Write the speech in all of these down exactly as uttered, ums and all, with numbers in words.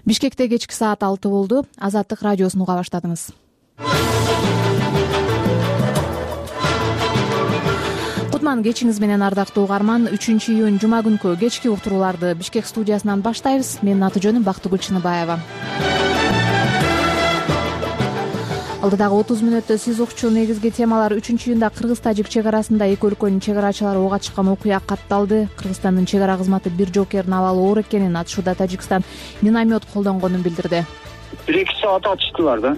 Бишкекте кечки саат алты болду. Азаттык радиосун уга баштадыңыз. Кутман кечиңиз менен, ардактуу угарман. үчүнчү июнь жума күнкү кечки уктурууларды Бишкек студиясынан баштайбыз. Менин аты жөнүм Бактыгүл Чыныбаева. Алдыдагы отуз мүнөттө сиз укчу негизги темалар: үчүнчү июнда кыргыз-тажик чек арасында эки өлкөнүн чек арачылары ого чыккан окуя катталды. Кыргызстандын чек ара кызматы бир жоокердин абалы оор экенин, атышууда Тажикстан миномет колдонгонун билдирди. бир эки саат атыштылар да.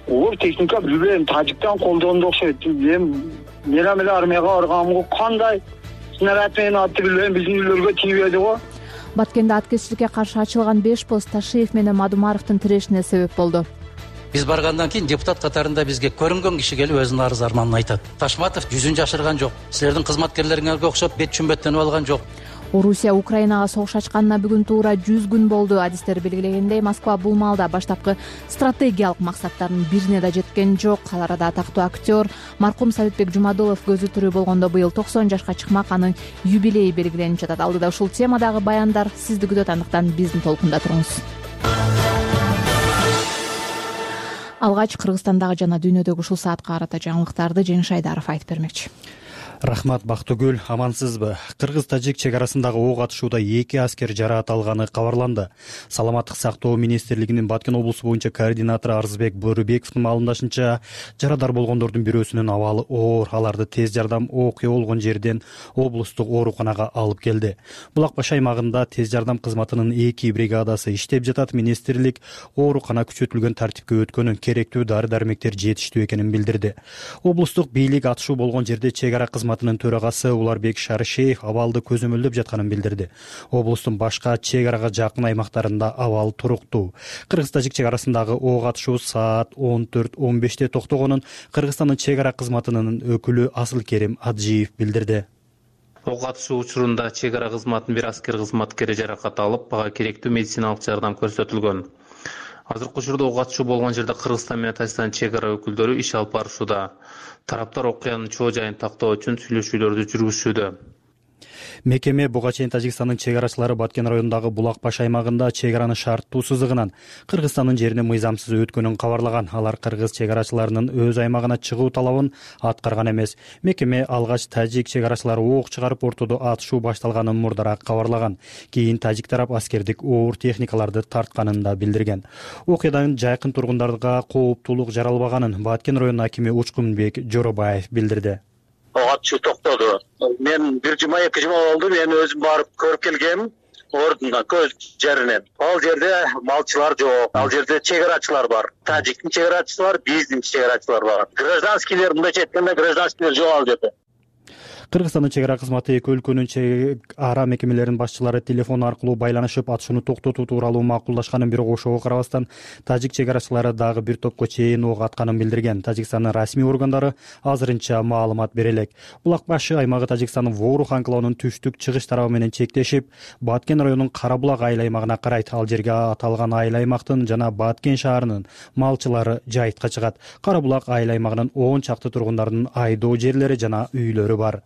Оор техника билбейм, Тажиктан колдонду окшойт. Мен менен эле армияга барганмын. Кандай снаряд менен атты билбейм, биздин үйлөргө тийбеди го. Баткенде аткезчиликке каршы ачылган беш пост Ташиев менен Мадумаровдун тирешине себеп болду. Биз баргандан кийин депутат катарында бизге көрүнгөн киши келип өзүнүн арыз арманын айтат. Ташматов жүзүн жашырган жок. Силердин кызматкерлериңерге окшоп бет чүмбөттөнүп алган жок. Орусия Украинага согуш ачканына бүгүн туура жүз күн болду. Адистер белгилегендей, Москва бул маалда баштапкы стратегиялык максаттарынын бирине да жеткен жок. Ал арада атактуу актер маркум Советбек Жумадулов көзү тирүү болгондо быйыл токсон жашка чыкмак, анын юбилейи белгиленип жатат. Алдыда ушул темадагы баяндар сизди күтөт, андыктан биздин толкунда туруңуз. Алгач Кыргызстандагы жана дүйнөдөгү ушул саатка карата жаңылыктарды Жеңиш Айдаров айтып бермекчи. Рахмат, Бактыгүл, амансызбы? Кыргыз-тажик чек арасындагы ок атышууда эки аскер жараат алганы кабарланды. Саламаттык сактоо министрлигинин Баткен облусу боюнча координатору Арзбек Борубековдун маалымдашынча, жарадар болгондордун бирөөсүнүн абалы оор. Аларды тез жардам окуя болгон жерден облустук ооруканага алып келди. Булак баш аймагында тез жардам кызматынын эки бригадасы иштеп жатат. Министрлик оорукана күчөтүлгөн тартипке өткөнүн, керектүү дары-дармектер жетиштүү экенин билдирди. Облустук бийлик атышуу болгон жерде чек ара кызматынын төрагасы Уларбек Шарышеев абалды көзөмөлдөп жатканын билдирди. Облустун башка чек арага жакын аймактарында абал туруктуу. Кыргыз-тажик чек арасындагы ок атышуу саат он төрт он беште токтогонун Кыргызстандын чек ара кызматынын өкүлү Асылкерим Аджиев билдирди. Ок атышуу учурунда чек ара кызматынын бир аскер кызматкери жаракат алып, ага керектүү медициналык жардам көрсөтүлгөн. Азыркы учурда ок атышуу болгон жерде Кыргызстан менен Тажикстан чек ара өкүлдөрү иш алып барышууда. Тараптар окуянын чоо жайын тактоо үчүн сүйлөшүүлөрдү жүргүзүшүүдө. Мекеме буга чейин Тажикстандын чек арачылары Баткен районундагы Булак баш аймагында чек аранын шарттуу сызыгынан Кыргызстандын жерине мыйзамсыз өткөнүн кабарлаган. Алар кыргыз чек арачыларынын өз аймагына чыгуу талабын аткарган эмес. Мекеме алгач тажик чек арачылары ок чыгарып ортодо атышуу башталганын мурдараак кабарлаган. Кийин тажик тарап аскердик оор техникаларды тартканын да билдирген. Окуядан жайкын тургундарга кооптуулук жаралбаганын Баткен районунун акими Учкунбек Жоробаев билдирди. Атышуу токтоду. Мен бир жума эки жума болду, мен өзүм барып көрүп келгем. Ордунда көз жеринен. Ал жерде малчылар жок. Ал жерде чек арачылар бар. Тажиктин чек арачысы бар, биздин чек арачылар бар. Гражданскийлер, мындайча айтканда, гражданскийлер жок ал жерде. Кыргызстандын чек ара кызматы эки өлкөнүн чек ара мекемелеринин башчылары телефон аркылуу байланышып атышууну токтотуу тууралуу макулдашканын, бирок ошого карабастан тажик чек арачылары дагы бир топко чейин ок атканын билдирген. Тажикстандын расмий органдары азырынча маалымат бере элек. Булак башы аймагы Тажикстандын Ворух анклавынын түштүк чыгыш тарабы менен чектешип, Баткен районунун Карабулак айыл аймагына карайт. Ал жерге аталган айыл аймактын жана Баткен шаарынын малчылары жайтка чыгат. Карабулак айыл аймагынын он чакты тургундарынын айдоо жерлери жана үйлөрү бар.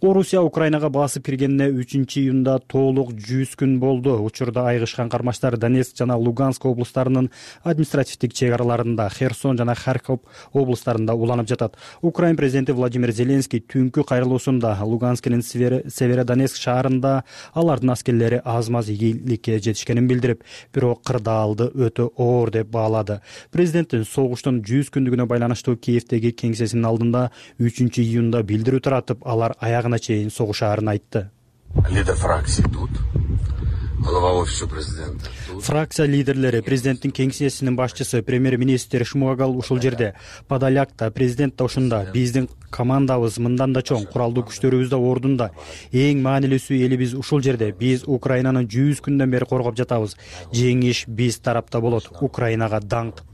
Орусия Украинага басып киргенине үчүнчү июнда толук жүз күн болду. Учурда айгышкан кармаштар Донецк жана Луганск облустарынын административдик чек араларында, Херсон жана Харьков облустарында уланып жатат. Украин президенти Владимир Зеленский түнкү кайрылуусунда Луганскинин Северодонецк шаарында алардын аскерлери аз-маз ийгиликке жетишкенин билдирип, бирок кырдаалды өтө оор деп баалады. Президенттин согуштун жүз күндүгүнө байланыштуу Киевдеги кеңсесинин алдында үчүнчү июнда билдирүү таратып, алар аягына чейин согушаарын айтты. Лидер фракции тут, глава офиса президента. Фракция лидерлери, президенттин кеңсесинин башчысы, премьер-министр Шмуагал ушул жерде, Подоляк да, президент да ушунда. Биздин командабыз мындан да чоң, куралдуу күчтөрүбүз да ордунда. Эң маанилүүсү элибиз ушул жерде. Биз Украинаны жүз күндөн бери коргоп жатабыз. Жеңиш биз тарапта болот. Украинага даңк,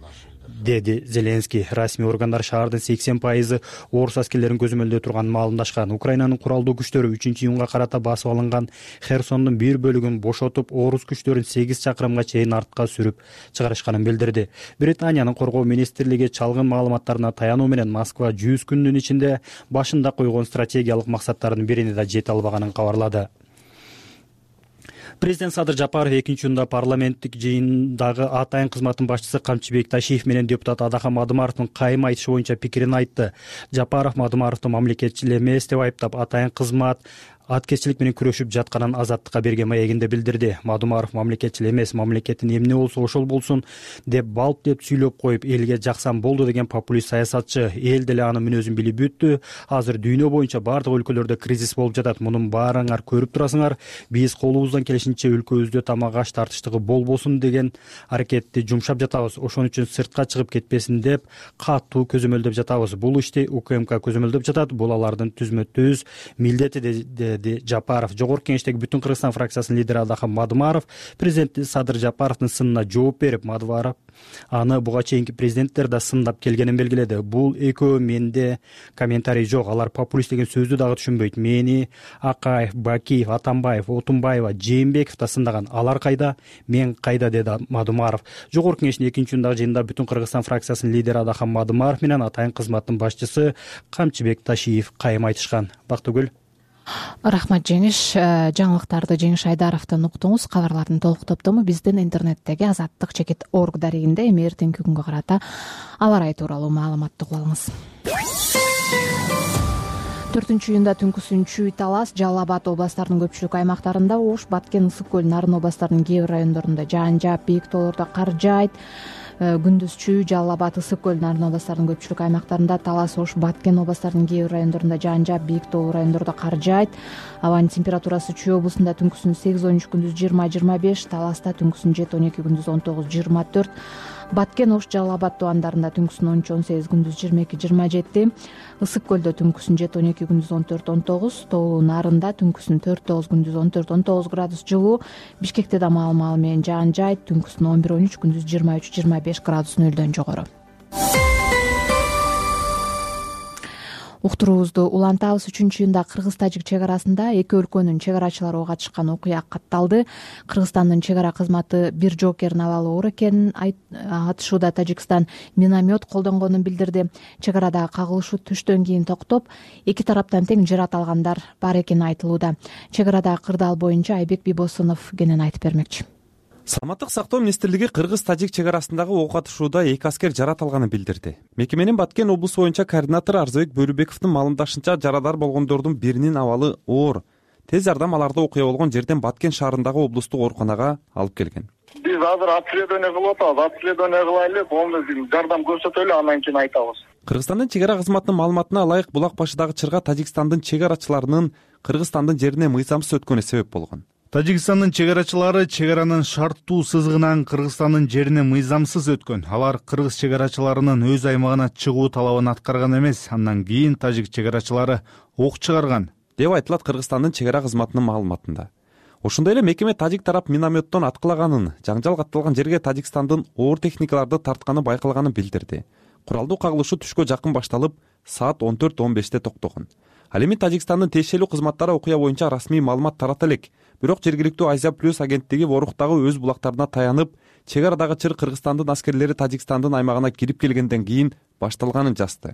деди Зеленский. Расмий органдар шаардын сексен пайызы орус аскерлерин көзөмөлдөй турганын маалымдашкан. Украинанын куралдуу күчтөрү үчүнчү июнга карата басып алынган Херсондун бир бөлүгүн бошотуп, орус күчтөрүн сегиз чакырымга чейин артка сүрүп чыгарышканын билдирди. Британиянын коргоо министрлиги чалгын маалыматтарына таянуу менен Москва жүз күндүн ичинде башында койгон стратегиялык максаттардын бирине да жете албаганын кабарлады. Президент Садыр Жапаров экинчи учурда парламенттик жыйындагы атайын кызматтын башчысы Камчыбек Ташиев менен депутат Адахан Мадымаровдун кайым айтышы боюнча пикирин айтты. Жапаров Мадымаровду мамлекетчил эмес деп айыптап, атайын кызмат аткезчилик менен күрөшүп жатканын Азаттыкка берген маегинде билдирди. Мадымаров мамлекетчил эмес, мамлекеттин эмне болсо ошол болсун деп балп деп сүйлөп коюп, элге жаксам болду деген популист саясатчы. Эл деле анын мүнөзүн билип бүттү. Азыр дүйнө боюнча бардык өлкөлөрдө кризис болуп жатат. Мунун баарыңар көрүп турасыңар. Биз колубуздан келишинче өлкөбүздө тамак аш тартыштыгы болбосун деген аракетти жумшап жатабыз. Ошон үчүн сыртка чыгып кетпесин деп катуу көзөмөлдөп жатабыз. Бул ишти УКМК көзөмөлдөп жатат. Бул алардын түзмө-түз милдети деди Жапаров. Жогорку Кеңештеги Бүтүн Кыргызстан фракциясынын лидери Адахан Мадымаров президент Садыр Жапаровдун сынына жооп берип, Мадымаров аны буга чейинки президенттер да сындап келгенин белгиледи. Бул экөө менде комментарий жок. Алар популист деген сөздү дагы түшүнбөйт. Мени Акаев, Бакиев, Атамбаев, Отунбаева, Жээнбеков да сындаган. Алар кайда, мен кайда, деди Мадымаров. Жогорку Кеңештин экинчи учурдагы жыйынында Бүтүн Кыргызстан фракциясынын лидери Адахан Мадымаров менен атайын кызматтын башчысы Камчыбек Ташиев кайым айтышкан. Бактыгүл. Рахмат Жеңиш. Жаңылыктарды Жеңиш Айдаровдон уктуңуз. Кабарлардын толук топтому биздин интернеттеги Азаттык чекит орг дарегинде эми эртеңки күнгө карата аба ырайы тууралуу маалыматты угуп алыңыз. төртүнчү июнда түнкүсүн Чүй, Талас, Жалал Абад областарынын көпчүлүк аймактарында, Ош, Баткен, Ысык көл, Нарын областарынын кээ бир райондорунда жаан жаап, бийик тоолордо кар жаайт. Күндүз Чүй, Жалал Абад, Ысык көл, Нарын областарынын көпчүлүк аймактарында, Талас, Ош, Баткен областарынын кээ бир райондорунда жаан жаап, бийик тоолуу райондордо кар жаайт. Абанын температурасы Чүй облусунда түнкүсүн сегиз он үч, күндүз жыйырма жыйырма беш, Таласта түнкүсүн жети он эки, күндүз он тогуз жыйырма төрт, Баткен, Ош, Жалал Абад тубандарында түнкүсүн он үч он сегиз, күндүз жыйырма эки жыйырма жети, Ысык көлдө түнкүсүн жети он эки, күндүз он төрт он тогуз, Тоолуу Нарында түнкүсүн төрт тогуз, күндүз он төрт он тогуз градус жылуу, Бишкекте да маал маал менен жаан жаайт, түнкүсүн он бир он үч, күндүз жыйырма үч жыйырма беш градус нөлдөн жогору. Уктуруубузду улантабыз. Үчүнчү июнда Кыргыз-Тажик чек арасында эки өлкөнүн чек арачылары ого катышкан окуя катталды. Кыргызстандын чек ара кызматы бир жоокерин алалы оор экенин айтышууда. Тажикстан миномет колдонгонун билдирди. Чек арадагы кагылышуу түштөн кийин токтоп, эки тараптан тең жарат алгандар бар экени айтылууда. Чек арадагы кырдаал боюнча Айбек Бибосунов кенен айтып бермекчи. Саламаттык сактоо министрлиги Кыргыз-Тажик чек арасындагы ок атышууда эки аскер жарат алганын билдирди. Мекеменин Баткен облусу боюнча координатору Арзыбек Бөрүбековдун маалымдашынча, жарадар болгондордун биринин абалы оор. Тез жардам аларды окуя болгон жерден Баткен шаарындагы облустук ооруканага алып келген. Биз азыр обследование кылып атабыз. Обследование кылайлы, полный жардам көрсөтөлү, андан кийин айтабыз. Кыргызстандын чек ара кызматынын маалыматына ылайык, булак башыдагы чырга Тажикстандын чек арачыларынын Кыргызстандын жерине мыйзамсыз өткөнүнө себеп болгон. Тажикстандын чек арачылары чек аранын шарттуу сызыгынан Кыргызстандын жерине мыйзамсыз өткөн. Алар кыргыз чек арачыларынын өз аймагына чыгуу талабын аткарган эмес. Андан кийин тажик чек арачылары ок чыгарган деп айтылат Кыргызстандын чек ара кызматынын маалыматында. Ошондой эле мекеме тажик тарап минометтон аткылаганын, жаңжал катталган жерге Тажикстандын оор техникаларды тартканы байкалганын билдирди. Куралдуу кагылышуу түшкө жакын башталып, саат он төрт он беште токтогон. Ал эми Тажикстандын тиешелүү кызматтары окуя боюнча расмий маалымат тарата элек. Бирок жергиликтүү Азия плюс агенттиги Воруктагы өз булактарына таянып, чек арадагы чыр Кыргызстандын аскерлери Тажикстандын аймагына кирип келгенден кийин башталганын жазды.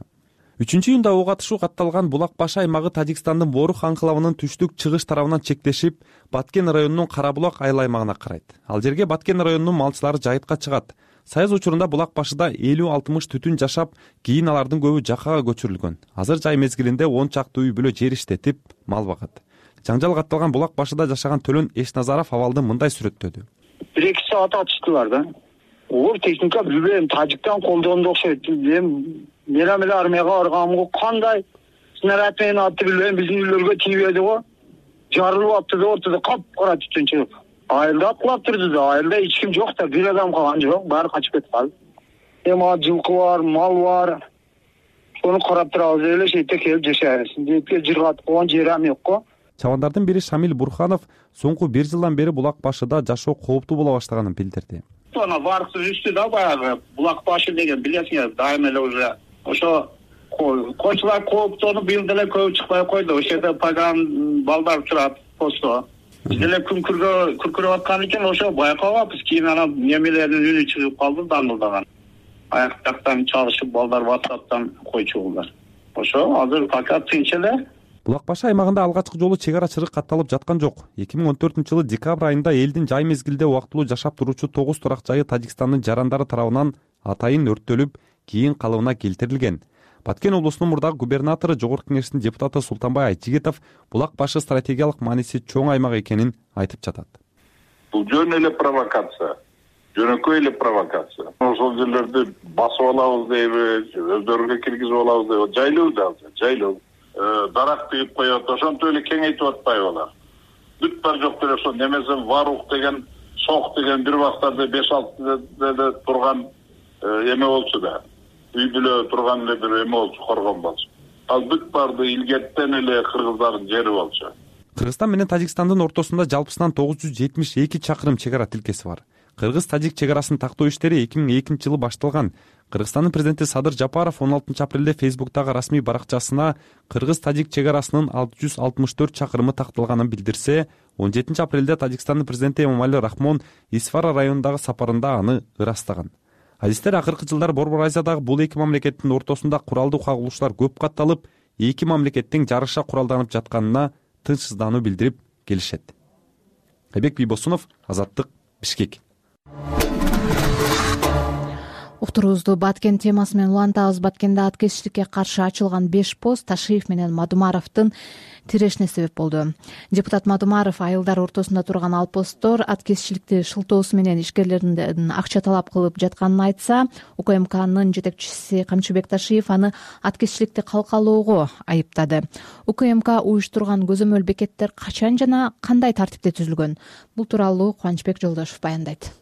үчүнчү июнда ок атышуу катталган Булак башы аймагы Тажикстандын Ворух анклавынын түштүк-чыгыш тарабынан чектешип, Баткен районунун Карабулак айыл аймагына карайт. Ал жерге Баткен районунун малчылары жайытка чыгат. Союз учурунда Булак башыда элүү алтымыш түтүн жашап, кийин алардын көбү жакага көчүрүлгөн. Азыр жай мезгилинде он чакты үй бүлө жер иштетип, мал багат. Жаңжал катталган Булак башыда жашаган Төлөн Эшназаров абалды мындай сүрөттөдү. бир эки саат атыштылар да. Оор техника билбейм, Тажиктан колдондо окшойт. Мен эле армияга барганмын, кандай снаряд менен атты билбейм, биздин үйлөргө тийбеди го. Жарылып атты да, ортодо кап-кара түтүн чыгып. Айылда аткылап турду да, айылда эч ким жок да, бир адам калган жок, баары качып кетип калды. Эми жылкы бар, мал бар. Сону карап турабыз, эле шетте келип жашайбыз. Депке жыргатып койгон жерим жок го. Чабандардын бири Шамил Бурханов соңку бир жылдан бери Булак башыда жашоо кооптуу боло баштаганын билдирди. Ана баркы үстү да баягы Булак башы деген билесиңер, дайым эле уже ошо койчулар кооптонуп быйыл деле көп чыкпай койду. Ошол жерде паган балдар турат посто. Биз деле күн күргө күркүрөп аткан экен, ошо байкабаппыз. Кийин анан немелердин үнү чыгып калды, даңгылдаган. Аяк жактан чалышып балдар WhatsApp'тан койчу болдур. Ошо азыр пока тынч эле. булак башы аймагында алгачкы жолу чек ара чырык катталып жаткан жок. эки миң он төртүнчү жылы декабрь айында элдин жай мезгилде убактылуу жашап туручу тогуз турак жайы Тажикстандын жарандары тарабынан атайын өрттөлүп, кийин калыбына келтирилген. Баткен облусунун мурдагы губернатору, Жогорку Кеңештин депутаты Султанбай Айжигитов булак башы стратегиялык мааниси чоң аймак экенин айтып жатат. Бул жөн эле провокация, жөнөкөй эле провокация. Ошол жерлерди басып алабыз дейбиз, өздөрүгө киргизип алабыз дейбиз. Жайлуу да, жайлуу. Дарак тыгып коет, ошентип эле кеңейтип атпайбы алар. Бүт бар жок деле ошо немесе Варух деген, Сок деген бир убактарда беш алты деле турган эме болчу да. Үй бүлө турган эле бир эме болчу, коргон болчу. Ал бүт барды илгертен эле кыргыздардын жери болчу. Кыргызстан менен Тажикстандын ортосунда жалпысынан тогуз жүз жетимиш эки чакырым чек ара тилкеси бар. Кыргыз-Тажик чек арасын тактоо иштери эки миң экинчи жылы башталган. Кыргызстандын президенти Садыр Жапаров он алтынчы апрелде Фейсбуктагы расмий баракчасына Кыргыз-Тажик чек арасынын алты жүз алтымыш төрт чакырымы такталганын билдирсе, он жетинчи апрелде Тажикстандын президенти Эмомали Рахмон Исфара районундагы сапарында аны ырастаган. Адистер, акыркы жылдары Борбор Азиядагы бул эки мамлекеттин ортосунда куралдуу кагылыштар көп катталып, эки мамлекеттин жарыша куралданып жатканына тынчсыздануу билдирип келишет. Айбек Бийбосунов, Азаттык, Бишкек. Уктуруубузду Баткен темасы менен улантабыз. Баткенде аткезчиликке каршы ачылган беш пост Ташиев менен Мадумаровдун тирешине себеп болду. Депутат Мадумаров айылдар ортосунда турган ал посттор аткезчиликти шылтоосу менен ишкерлерден акча талап кылып жатканын айтса, УКМКнын жетекчиси Камчыбек Ташиев аны аткезчиликти калкалоого айыптады. УКМК уюштурган көзөмөл бекеттер качан жана кандай тартипте түзүлгөн? Бул тууралуу Кубанычбек Жолдошев баяндайт.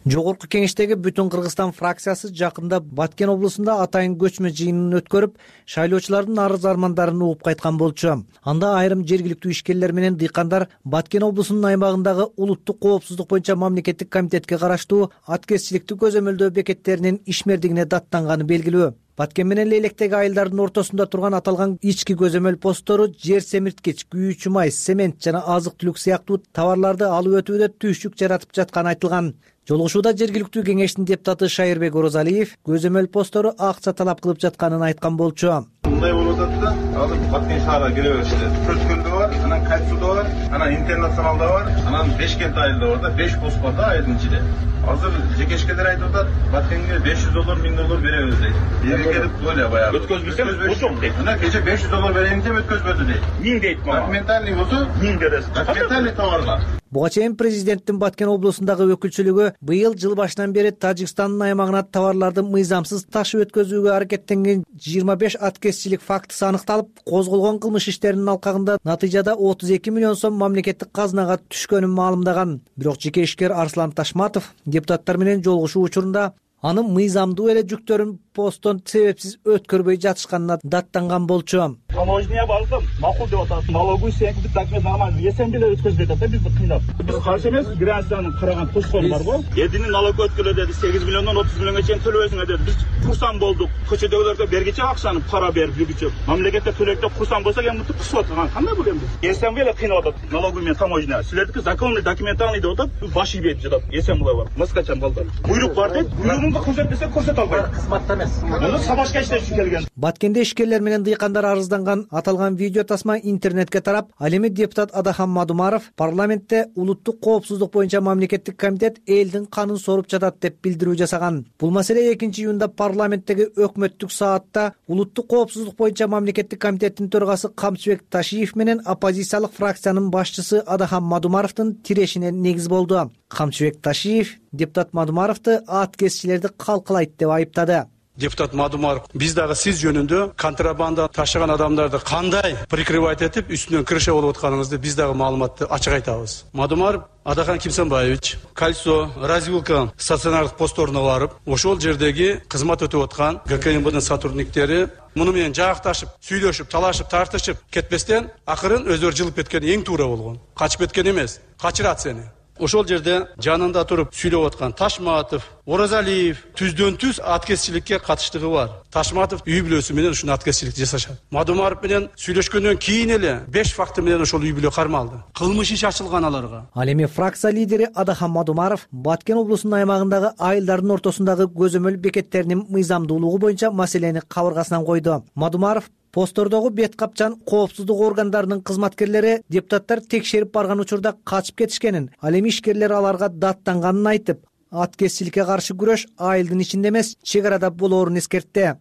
Жогорку Кеңештеги Бүтүн Кыргызстан фракциясы жакында Баткен облусунда атайын көчмө жыйынын өткөрүп, шайлоочулардын арыз армандарын угуп кайткан болчу. Анда айрым жергиликтүү ишкерлер менен дыйкандар Баткен облусунун аймагындагы улуттук коопсуздук боюнча мамлекеттик комитетке караштуу аткезчиликти көзөмөлдөө бекеттеринин ишмердигине даттанганы белгилүү. Баткен менен Лейлектеги айылдардын ортосунда турган аталган ички көзөмөл посттору жер семирткич, күйүүчү май, цемент жана азык-түлүк сыяктуу товарларды алып өтүүдө түйшүк жаратып жатканы айтылган. Жолугушууда жергиликтүү кеңештин депутаты Шайырбек Орозалиев көзөмөл посттору акча талап кылып жатканын айткан болчу. Мындай болуп атат да, азыр Баткен шаарга кире беришти. Көчкөндө бар, анан Кайсуда бар, анан Интернационалда бар, анан Бешкент айылда бар да, беш пост бар да айылдын ичинде. Азыр жекешкелер айтып атат, Баткенге беш жүз доллар, миң доллар беребиз дейт. Элге келип өлө баягы. Өткөзбөсөм, ошол дейт. Анан кече беш жүз доллар берейин деп өткөзбөдү дейт. миң дейт мага. Документальный болсо миң бересиз. Документальный товарлар. Буга чейин президенттин Баткен облусундагы өкүлчүлүгү быйыл жыл башынан бери Тажикстандын аймагына товарларды мыйзамсыз ташып өткөзүүгө аракеттенген жыйырма беш аткезчилик фактысы аныкталып, козголгон кылмыш иштеринин алкагында натыйжада отуз эки миллион сом мамлекеттик казынага түшкөнүн маалымдаган. Бирок жеке ишкер Арслан Ташматов депутаттар менен жолугушуу учурунда анын мыйзамдуу эле жүктөрүн посттон себепсиз өткөрбөй жатышканына даттанган болчу. Таможня балкым, макул деп атат. Налоговый секторду документ нормально, эсен деле өткөзбөй атат да бизди кыйнап. Биз каршы эмес, гражданын караган тушкон бар го. Эдини налог өткөрө деди, сегиз миллиондон отуз миллионго чейин төлөбөсүңөр деди. Биз курсан болдук. Көчөдөгүлөргө бергиче акчаны пара берип жүргүчү. Мамлекетте төлөктө курсан болсо эми мынтип кысып аткан. Кандай бул эми? Эсен эле кыйнап атат. Налоговый менен таможня. Силердики законный документальный деп атат. Баш ийбейт жатат. Эсен булай бар. Маскачан балдар. Буйрук бар дейт. Буйругун көрсөтпөсө көрсөтө албайт. Кызматта эмес. Муну сабашка иштеш үчүн келген. Баткенде ишкерлер менен дыйкандар арызданган аталган видео тасма интернетке тарап, ал эми депутат Адахан Мадумаров парламентте улуттук коопсуздук боюнча мамлекеттик комитет элдин канын соруп жатат деп билдирүү жасаган. Бул маселе экинчи июнда парламенттеги өкмөттүк саатта улуттук коопсуздук боюнча мамлекеттик комитеттин төрагасы Камчыбек Ташиев менен оппозициялык фракциянын башчысы Адахан Мадумаровдун тирешине негиз болду. Камчыбек Ташиев депутат Мадумаровду аткезчилерди калкалайт деп айыптады. Депутат Мадумаров, биз дагы сиз жөнүндө контрабанда ташыган адамдарды кандай прикрывать этип үстүнөн крыша болуп атканыңызды биз дагы маалыматты ачык айтабыз. Мадумаров Адахан Кимсанбаевич кольцо развилка стационардык постторуна барып, ошол жердеги кызмат өтүп аткан ГКМБдын сотрудниктери муну менен жаакташып, сүйлөшүп, талашып, тартышып кетпестен акырын өздөрү жылып кеткен эң туура болгон. Качып кеткен эмес, качырат сени. Ошол жерде жанында туруп сүйлөп аткан Ташматов, Орозалиев түздөн түз аткезчиликке катыштыгы бар. Ташматов үй бүлөсү менен ушуну аткезчилик жасашат. Мадумаров менен сүйлөшкөндөн кийин эле беш факты менен ошол үй бүлө кармалды. Кылмыш иш ачылган аларга. Ал эми фракция лидери Адахан Мадумаров Баткен облусунун аймагындагы айылдардын ортосундагы көзөмөл бекеттеринин мыйзамдуулугу боюнча маселени кабыргасынан койду. Мадумаров Посттордогу бет капчан коопсуздук органдарынын кызматкерлери депутаттар текшерип барган учурда качып кетишкенин, ал эми ишкерлер аларга даттанганын айтып, аткезчиликке каршы күрөш айылдын ичинде эмес, чек арада болоорун эскертти.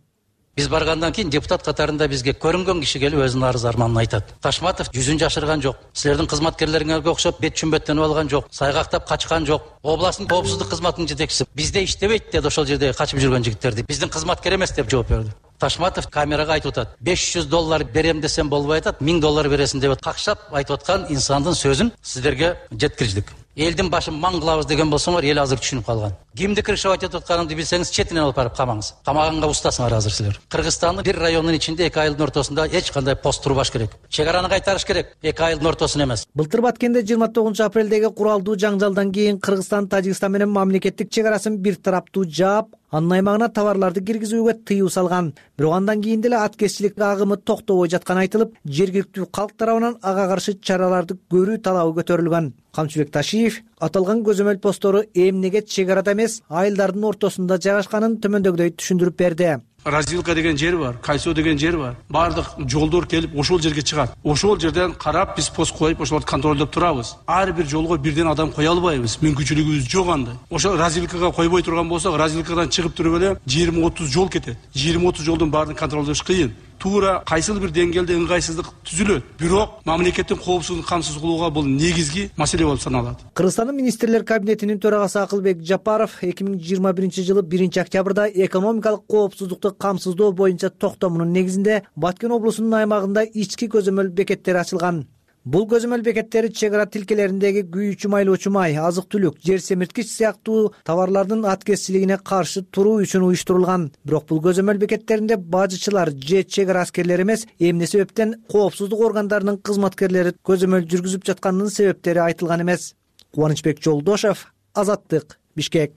Биз баргандан кийин депутат катарында бизге көрүнгөн киши келип өзүнүн арыз арманын айтат. Ташматов жүзүн жашырган жок. Силердин кызматкерлериңерге окшоп бет чүмбөттөнүп алган жок, сайгактап качкан жок. Областын коопсуздук кызматынын жетекчиси бизде иштебейт деди ошол жерде качып жүргөн жигиттерди. Биздин кызматкер эмес деп жооп берди. Ташматов камерага айтып атат. беш жүз доллар берем десем болбой атат, миң доллар бересиң деп какшап айтып аткан инсандын сөзүн сиздерге жеткирдик. Элдин башын маң кылабыз деген болсоңор, эл азыр түшүнүп калган. Кимди крышевать этип атканымды билсеңиз, четинен алып барып камаңыз. Камаганга устасыңар азыр силер. Кыргызстандын бир районунун ичинде эки айылдын ортосунда эч кандай пост турбаш керек. Чек араны кайтарыш керек, эки айылдын ортосун эмес. Былтыр Баткенде жыйырма тогузунчу апрелдеги куралдуу жаңжалдан кийин Кыргызстан Тажикстан менен мамлекеттик чек арасын бир тараптуу жаап, анын аймагына товарларды киргизүүгө тыюу салган. Бирок андан кийин деле аткезчилик агымы токтобой жатканы айтылып, жергиликтүү калк тарабынан ага каршы чараларды көрүү талабы көтөрүлгөн. Камчыбек Ташиев аталган көзөмөл посттору эмнеге чек арада эмес, айылдардын ортосунда жайгашканын төмөндөгүдөй түшүндүрүп берди. Развилка деген жер бар, Кайсо деген жер бар. Бардык жолдор келип ошол жерге чыгат. Ошол жерден карап биз пост коюп, ошолорду контролдоп турабыз. Ар бир жолго бирден адам кое албайбыз. Мүмкүнчүлүгүбүз жок андай. Ошол развилкага койбой турган болсок, развилкадан чыгып туруп эле жыйырма отуз жол кетет. жыйырма отуз жолдун баарын контролдош кыйын. Туура кайсыл бир деңгээлде ыңгайсыздык түзүлөт. Бирок мамлекеттин коопсуздугун камсыз кылууга бул негизги маселе болуп саналат. Кыргызстандын министрлер кабинетинин төрагасы Акылбек Жапаров эки миң жыйырма биринчи жылы биринчи октябрда экономикалык коопсуздукту камсыздоо боюнча токтомунун негизинде Баткен облусунун аймагында ички көзөмөл бекеттери ачылган. Бул көзөмөл бекеттери чек ара тилкелериндеги күйүүчү майлоочу май, азык-түлүк, жер семирткич сыяктуу товарлардын аткезчилигине каршы туруу үчүн уюштурулган. Бирок бул көзөмөл бекеттеринде бажычылар же чек ара аскерлери эмес, эмне себептен коопсуздук органдарынын кызматкерлери көзөмөл жүргүзүп жатканынын себептери айтылган эмес. Кубанычбек Жолдошев, Азаттык, Бишкек.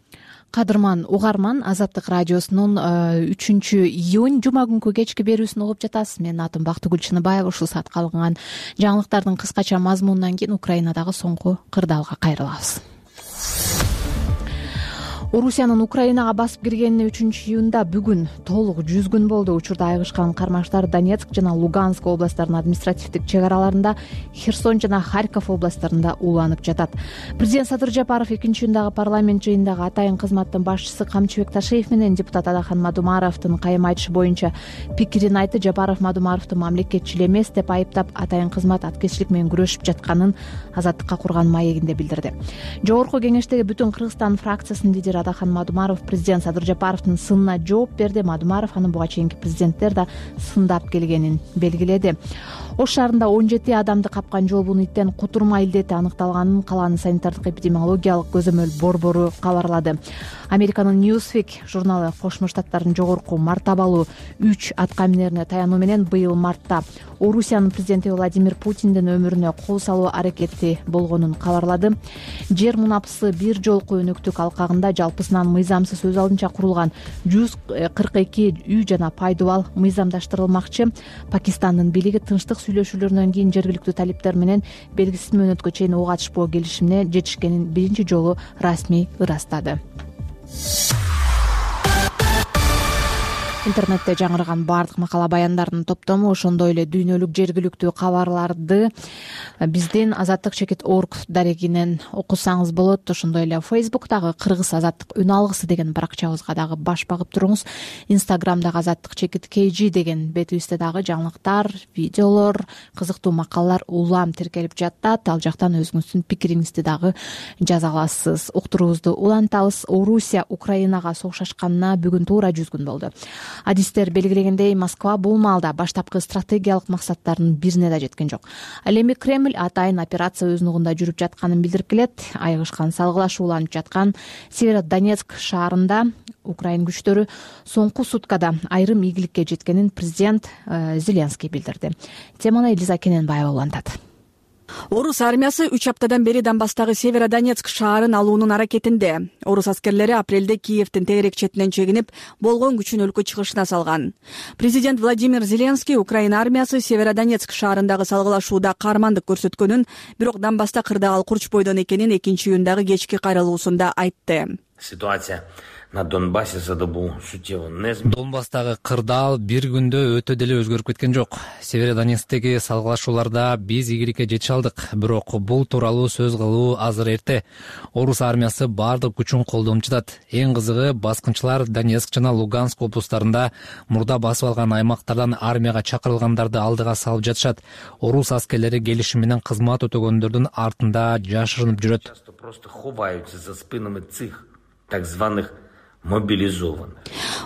Кадырман угарман, Азаттык радиосунун үчүнчү июнь жума күнкү кечки берүүсүн угуп жатасыз. Менин атым Бактыгүл Чыныбаева. Ушул саатка алынган жаңылыктардын кыскача мазмунунан кийин Украинадагы соңку кырдаалга кайрылабыз. Орусиянын Украинага басып киргенине үчүнчү июнда бүгүн толук жүз күн болду. Учурда айгышкан кармаштар Донецк жана Луганск областтарынын административдик чек араларында, Херсон жана Харьков областтарында ууланып жатат. Президент Садыр Жапаров экинчи июндагы парламент жыйынындагы атайын кызматтын башчысы Камчыбек Ташиев менен депутат Адахан Мадумаровдун кайым айтышы боюнча пикирин айтты. Жапаров Мадумаровду мамлекетчил эмес деп айыптап, атайын кызмат аткезчилик менен күрөшүп жетканын азаттыкка курган маегинде билдирди. Жогорку кеңештеги бүтүн Кыргызстан фракциясынын лидери Адахан Мадумаров президент Садыр Жапаровдун сынына жооп берди. Мадумаров анын буга чейинки президенттер да сындап келгенин белгиледи. Ош шаарында он жети адамды капкан жолбун иттен кутурма илдети аныкталганын калаанын санитардык эпидемиологиялык көзөмөл борбору кабарлады. Американын Newsweek журналы Кошмо Штаттардын жогорку мартабалуу үч аткаминерине таянуу менен быйыл мартта Орусиянын президенти Владимир Путиндин өмүрүнө кол салуу аракети болгонун кабарлады. Жер мунапысы бир жолку өнөктүк алкагында жалпысынан мыйзамсыз өз алдынча курулган жүз кырк эки үй жана пайдубал мыйзамдаштырылмакчы. Пакистандын бийлиги тынчтык сүйлөшүүлөрүнөн кийин жергиликтүү талиптер менен белгисиз мөөнөткө чейин ок атышпоо келишимине жетишкенин биринчи жолу расмий ырастады. Интернетте жаңырган бардык макала баяндардын топтому, ошондой эле дүйнөлүк жергиликтүү кабарларды биздин азаттык чекит точка орг дарегинен окусаңыз болот. Ошондой эле Facebook'тагы Кыргыз азаттык үн алгысы деген баракчабызга дагы баш багып туруңуз. Instagram'дагы азаттык чекит kg деген бетибизде дагы жаңылыктар, видеолор, кызыктуу макалалар улам тиркелип жатат. Ал жактан өзүңүздүн пикириңизди дагы жаза аласыз. Уктуруубузду улантабыз. Орусия Украинага согуш ачканына бүгүн туура жүз күн болду. Адистер белгилегендей, Москва бул маалда баштапкы стратегиялык максаттарынын бирине да жеткен жок. Ал эми Кремль атайын операция өз нугунда жүрүп жатканын билдирип келет. Айгышкан салгылаш уланып жаткан Северодонецк шаарында Украин күчтөрү соңку суткада айрым ийгиликке жеткенин президент Зеленский билдирди. Теманы Элиза Кененбаева улантат. Орус армиясы үч аптадан бери Донбасстагы Северодонецк шаарын алуунун аракетинде. Орус аскерлери апрелде Киевдин тегерек четинен чегинип, болгон күчүн өлкө чыгышына салган. Президент Владимир Зеленский Украина армиясы Северодонецк шаарындагы салгылашууда каармандык көрсөткөнүн, бирок Донбасста кырдаал курчпойдон экенин экинчи июндагы кечки кайрылуусунда айтты. Ситуация на Донбассе задобу сутеву незм. Донбасстагы кырдаал бир күндө өтө деле өзгөрүп кеткен жок. Северодонецктеги салгылашууларда биз ийгиликке жете алдык, бирок бул тууралуу сөз кылуу азыр эрте. Орус армиясы бардык күчүн колдонуп жатат. Эң кызыгы, баскынчылар Донецк жана Луганск облустарында мурда басып алган аймактардан армияга чакырылгандарды алдыга салып жатышат. Орус аскерлери келишим менен кызмат өтөгөндөрдүн артында жашырынып жүрөт. Просто ховаются за спинами цих так званых мобилизованных.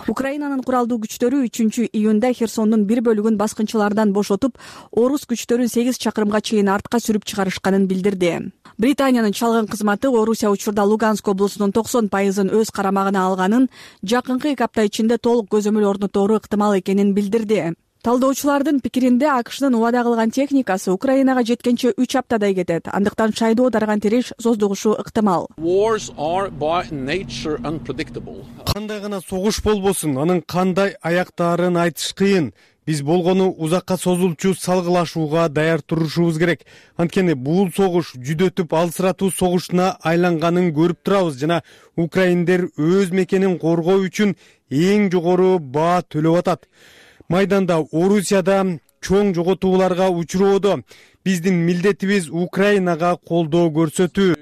Украинанын куралдуу күчтөрү үчүнчү июнда Херсондун бир бөлүгүн баскынчылардан бошотуп, орус күчтөрүн сегиз чакырымга чейин артка сүрүп чыгарышканын билдирди. Британиянын чалгын кызматы Орусия учурда Луганск облусунун токсон пайызын өз карамагына алганын, жакынкы эки апта ичинде толук көзөмөл орнотору ыктымал экенин билдирди. Талдоочулардын пикиринде АКШнын убада кылган техникасы Украинага жеткенче үч аптадай кетет. Андыктан шайдоо дарыган тириш создугушу ыктымал. Кандай гана согуш болбосун, анын кандай аяктаарын айтыш кыйын. Биз болгону узакка созулчу салгылашууга даяр турушубуз керек. Анткени бул согуш жүдөтүп алсыратуу согушуна айланганын көрүп турабыз жана украиндер өз мекенин коргоо үчүн эң жогору баа төлөп атат. Майданда Орусияда чоң жоготууларга учуроодо биздин милдетибиз Украинага колдоо көрсөтүү,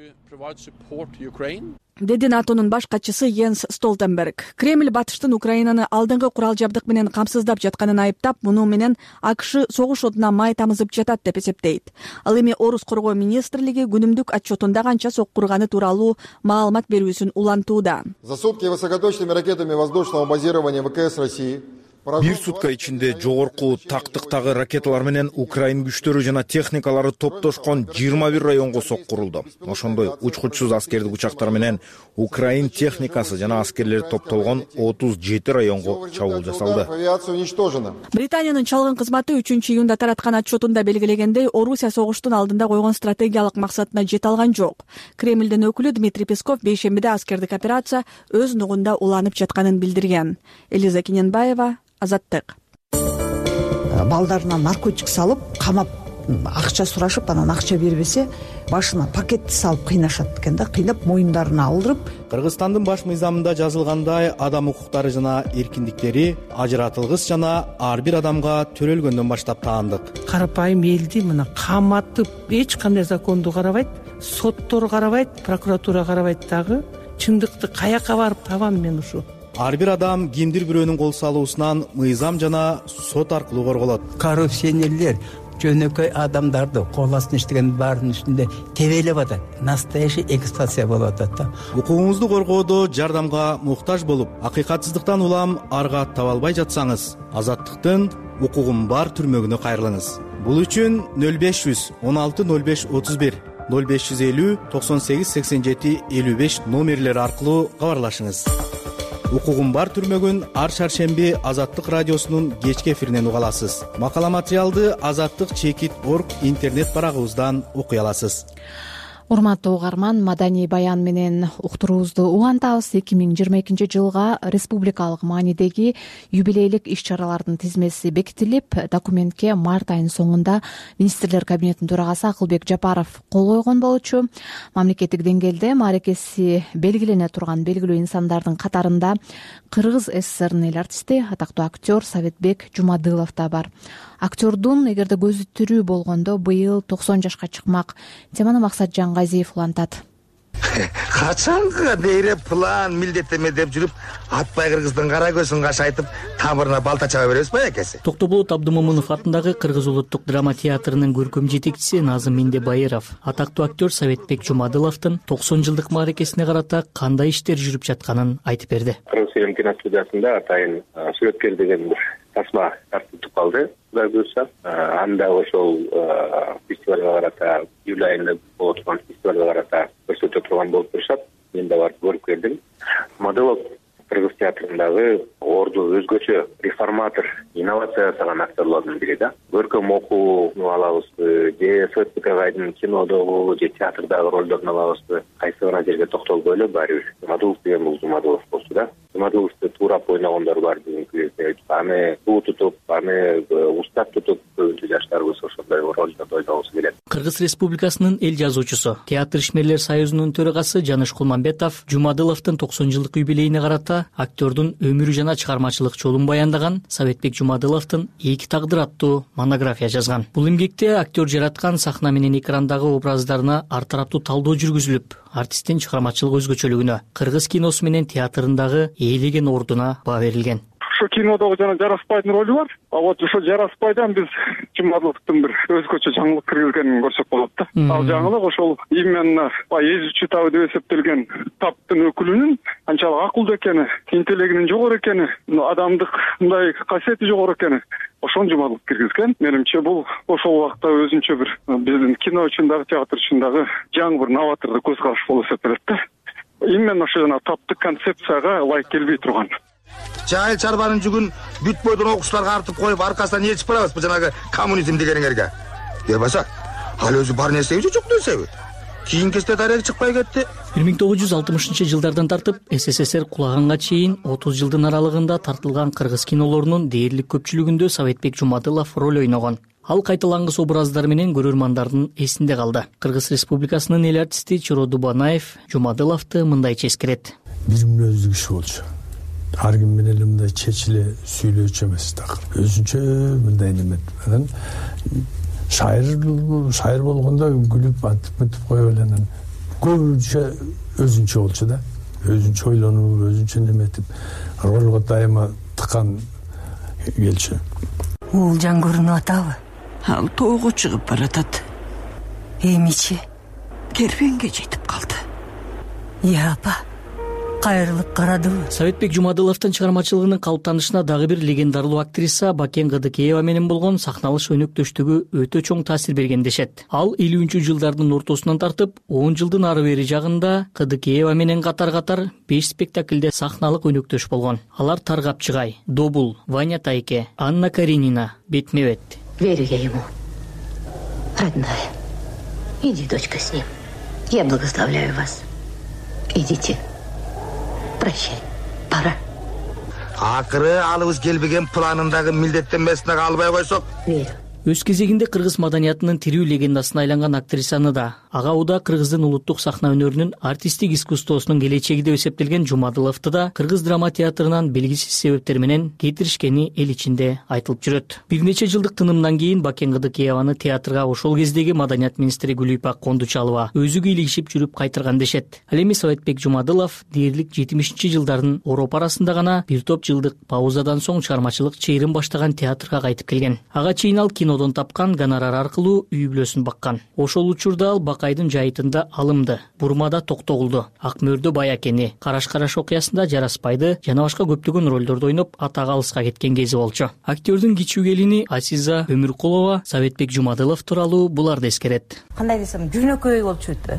деди НАТОнун баш катчысы Йенс Столтенберг. Кремль батыштын Украинаны алдыңкы курал жабдык менен камсыздап жатканын айыптап, муну менен АКШ согуш отуна май тамызып жатат деп эсептейт. Ал эми Орус коргоо министрлиги күнүмдүк отчетунда канча соккурганы тууралуу маалымат берүүсүн улантууда. За сутки высокоточными ракетами воздушного базирования ВКС России Бир сутка ичинде жогорку тактыктагы ракеталар менен Украин күчтөрү жана техникалары топтошкон жыйырма бир районго соккурулду. Ошондой учкучсуз аскердик учактар менен Украин техникасы жана аскерлери топтолгон отуз жети районго чабуул жасалды. Британиянын чалгын кызматы үчүнчү июнда тараткан отчетунда белгилегендей, Орусия согуштун алдында койгон стратегиялык максатына жете алган жок. Кремлдин өкүлү Дмитрий Песков бейшембиде аскердик операция өз нугунда уланып жатканын билдирген. Элиза Кененбаева, Азаттык. Балдарына наркотик салып, камап, акча сурашып, анан акча бербесе, башына пакетти салып кыйнашат экен да, кыйнап моюндарына алдырып. Кыргызстандын баш мыйзамында жазылгандай, адам укуктары жана эркиндиктери ажыратылгыс жана ар бир адамга төрөлгөндөн баштап таандык. Карапайым элди мына каматып, эч кандай законду карабайт, соттор карабайт, прокуратура карабайт дагы. Чындыкты каяка барып табам мен ушу? Ар бир адам кимдир бирөөнүн кол салуусунан мыйзам жана сот аркылуу корголот. Коррупционерлер жөнөкөй адамдарды кол астына иштеген баарынын үстүндө тебелеп атат. Настоящий эксплуатация болуп атат да. Укугуңузду коргоодо жардамга муктаж болуп, акыйкатсыздыктан улам арга таба албай жатсаңыз, Азаттыктын укугум бар түрмөгүнө кайрылыңыз. Бул үчүн нөл беш жүз он алты нөл беш отуз бир, нөл беш жүз элүү токсон сегиз сексен жети элүү беш номерлери аркылуу кабарлашыңыз. Укугум бар түрмөгүн ар шаршемби Азаттык радиосунун кечки эфиринен уга аласыз. Макала материалды Азаттык чекит точка орг интернет барагыбыздан окуй аласыз. Урматтуу угарман, маданий баян менен уктуруубузду улантабыз. эки миң жыйырма экинчи жылга республикалык маанидеги юбилейлик иш-чаралардын тизмеси бекитилип, документке март айынын соңунда министрлер кабинетинин төрагасы Акылбек Жапаров кол койгон болчу. Мамлекеттик деңгээлде мааракеси белгилене турган белгилүү инсандардын катарында Кыргыз ССРнын эл артисти, атактуу актер Советбек Жумадылов да бар. Актердун эгерде көзү тирүү болгондо быйыл токсон жашка чыкмак. Теманы Максатжан Газиев улантат. Качанга бери план милдеттеме деп жүрүп, атпай Кыргыздын кара көзүн кашайтып, тамырына балта чаба беребиз ба экеси? Токтоболот Абдымомунов атындагы Кыргыз улуттук драма театрынын көркөм жетекчиси Назым Мендебайыров аттактуу актер Советбек Жумадыловдун токсон жылдык мааракесине карата кандай иштер жүрүп жатканын айтып берди. Кыргыз фильм киностудиясында атайын сүрөткер деген бир тасма тартылып калды. Кудай буюрса, анда ошол фестивалга карата, июль айында болот турган фестивалга карата көрсөтө турган болуп турушат. Мен да барып көрүп келдим. Модулов Кыргыз театрындагы орду өзгөчө реформатор, инновация жасаган актерлордун бири да. Көркөм окууну алабызбы, же Советбек агайдын кинодогу же театрдагы ролдорун алабызбы, кайсы бир жерге токтолбой эле баары бир Модулов деген бул Жумадылов болчу да. жумадыловду туурап ойногондор бар бүгүнкү кезде. Аны суу тутуп, аны устап тутуп көбүнчө жаштарыбыз ошондой ролдорду ойногусу келет. Кыргыз Республикасынын эл жазуучусу, театр ишмерлер союзунун төрагасы Жаныш Кулманбетов Жумадыловдун токсон жылдык юбилейине карата актёрдун өмүрү жана чыгармачылык жолун баяндаган Советбек Жумадыловдун Эки тагдыр аттуу монография жазган. Бул эмгекте актер жараткан сахна менен экрандагы образдарына ар тараптуу талдоо жүргүзүлүп, артисттин чыгармачылык өзгөчөлүгүнө, кыргыз киносу менен театрындагы ээлеген ордуна баа берилген. Ошо кинодогу жана Жараспайдын ролу бар. А вот ошо Жараспайдан биз Жумадыловдун бир өзгөчө жаңылык киргизгенин көрсөк болот да. Ал жаңылык ошол именно эзүүчү табы деп эсептелген таптын өкүлүнүн канчалык акылдуу экени, интеллегинин жогору экени, адамдык мындай касиети жогору экени ошону Жумадылов киргизген. Менимче бул ошол убакта өзүнчө бир биздин кино үчүн дагы, театр үчүн дагы жаңы бир новатордук көз караш болуп эсептелет да. Именно ошо жана таптык концепцияга ылайык келбей турган. Жайыл чарбанын жүгүн бүт бойдон окуучуларга артып коюп, аркасынан ээрчип барабызбы жанагы коммунизм дегениңерге? Эбаса, ал өзү бар нерсеби же жок нерсеби? Кийин кезде дарек чыкпай кетти. бир миң тогуз жүз алтымышынчы жылдардан тартып СССР кулаганга чейин отуз жылдын аралыгында тартылган кыргыз кинолорунун дээрлик көпчүлүгүндө Советбек Жумадылов роль ойногон. Ал кайталангыс образдар менен көрөрмандардын эсинде калды. Кыргыз Республикасынын эл артисти Чоро Дубанаев Жумадыловду мындайча эскерет. Бир мүнөздүү киши болчу. Ар ким менен эле мындай чечиле сүйлөөчү эмес такыр. Өзүнчө мындай неме анан шайыр шайыр болгондо күлүп антип мынтип коюп эле анан көбүнчө өзүнчө болчу да. Өзүнчө ойлонуп, өзүнчө неметип ролго дайыма тыкан келчү. Уулжан көрүнүп атабы? Ал тоого чыгып баратат. Эмичи кербенге жетип калды. Я апа, кайрылып карадыбы? Советбек Жумадыловдун чыгармачылыгынын калыптанышына дагы бир легендарлуу актриса Бакен Кыдыкеева менен болгон сахналыш өнөктөштүгү өтө чоң таасир берген дешет. Ал элүүнчү жылдардын ортосунан тартып он жылдын ары бери жагында Кыдыкеева менен катар-катар беш спектакльде сахналык өнөктөш болгон. Алар Таргапчыгай, Добул, Ваня Тайке, Анна Каренина, Бетме-бет. Верю я ему. Родная, иди, дочка, с ним. Я благословляю вас. Идите. Прощай, пора. Акыры алыбыз келбеген планындагы милдеттенмесине калбай койсок. Верю. Өз кезегинде кыргыз маданиятынын тирүү легендасына айланган актрисаны да, ага уда кыргыздын улуттук сахна өнөрүнүн артисттик искусствосунун келечеги деп эсептелген Жумадыловду да кыргыз драма театрынан белгисиз себептер менен кетиришкени эл ичинде айтылып жүрөт. Бир нече жылдык тынымдан кийин Бакен Кыдыкееваны театрга ошол кездеги маданият министри Гүлүйпак Кондучалова өзү кийлигишип жүрүп кайтырган дешет. Ал эми Советбек Жумадылов дээрлик жетимишинчи жылдардын ороп арасында гана бир топ жылдык паузадан соң чыгармачылык чейрин баштаган театрга кайтып келген. Ага чейин ал кино тапкан гонорар аркылуу үй бүлөсүн баккан. Ошол учурда ал Бакайдын жайытында алымды, Бурмада Токтогулду, Ак мөрдө Баякени, Караш-караш окуясында Жараспайды жана башка көптөгөн ролдорду ойноп атак алыска кеткен кези болчу. Актёрдун кичүү келини Азиза Өмүркулова Советбек Жумадылов тууралуу буларды эскерет. Кандай десем, жөнөкөй болчу өтө.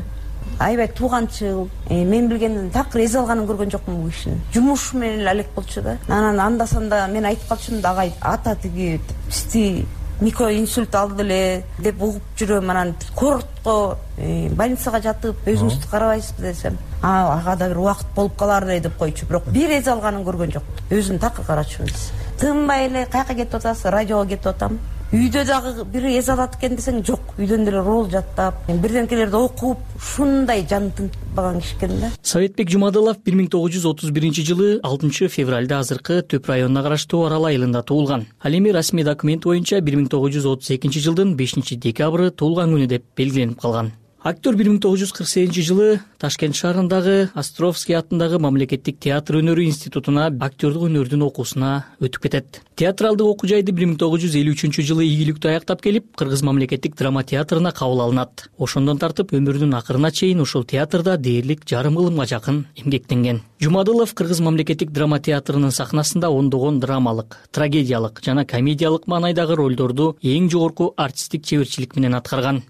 Аябай тууганчыл, мен билгенден такыр эз алганын көргөн жокмун бул кишинин. Жумуш менен эле алек болчу да. Анан анда-санда мен айтып калчумун да, агай ата тиги сти микроинсульт алды эле деп угуп жүрөм. Анан коротко больницага жатып өзүңүздү карабайсызбы десем, а ага да бир убакыт болуп калар эле деп койчу. Бирок бир эз алганын көргөн жок. Өзүн такыр карачубуз. Тынбай эле каяка кетип атасыз? Радиого кетип атам. Үйдө дагы бир эз алат экен десең, жок. Үйдөн деле рол жаттап, бирденкелерди окуп, ушундай жан тынтпаган киши экен да. Советбек Жумадылов бир миң тогуз жүз отуз биринчи жылы алтынчы февралда азыркы Төп районуна караштуу Арал айылында туулган. Ал эми расмий документ боюнча бир миң тогуз жүз отуз экинчи жылдын бешинчи декабры туулган күнү деп белгиленип калган. Актер бир миң тогуз жүз кырк сегизинчи жылы Ташкент шаарындагы Островский атындагы мамлекеттик театр өнөрү институтуна актерлук өнөрдүн окуусуна өтүп кетет. Театралдык окуу жайды бир миң тогуз жүз элүү үчүнчү жылы ийгиликтүү аяктап келип, Кыргыз мамлекеттик драма театрына кабыл алынат. Ошондон тартып өмүрүнүн акырына чейин ушул театрда дээрлик жарым кылымга жакын эмгектенген. Жумадылов Кыргыз мамлекеттик драма театрынын сахнасында ондогон драмалык, трагедиялык жана комедиялык маанайдагы ролдорду эң жогорку артисттик чеберчилик менен аткарган.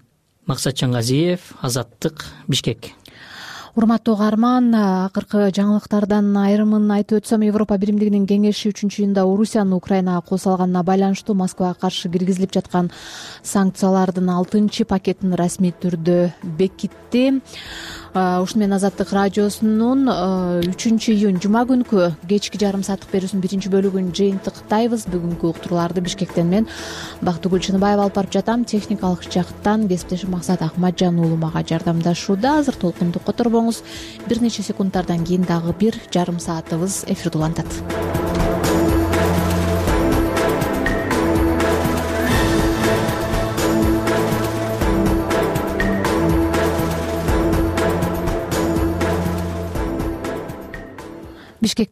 Максатжан Газиев, Азаттык, Бишкек. Урматтуу угарман, акыркы жаңылыктардан айрымын айтып өтсөм, Европа Биримдигинин кеңеши үчүнчү июнда Орусиянын Украинага кол салганына байланыштуу Москвага каршы киргизилип жаткан санкциялардын алтынчы пакетин расмий түрдө бекитти. ушуну менен Азаттык радиосунун үчүнчү июнь жума күнкү кечки жарым сааттык берүүсүнүн биринчи бөлүгүн жыйынтыктайбыз. Бүгүнкү уктурууларды Бишкектен мен Бактыгүл Чыныбаева алып барып жатам. Техникалык жактан кесиптешим Максат Акматжан уулу мага жардамдашууда. Азыр толкунду которбоңуз. Бир нече секундтардан кийин дагы бир жарым саатыбыз эфирде улантат. Бишкекте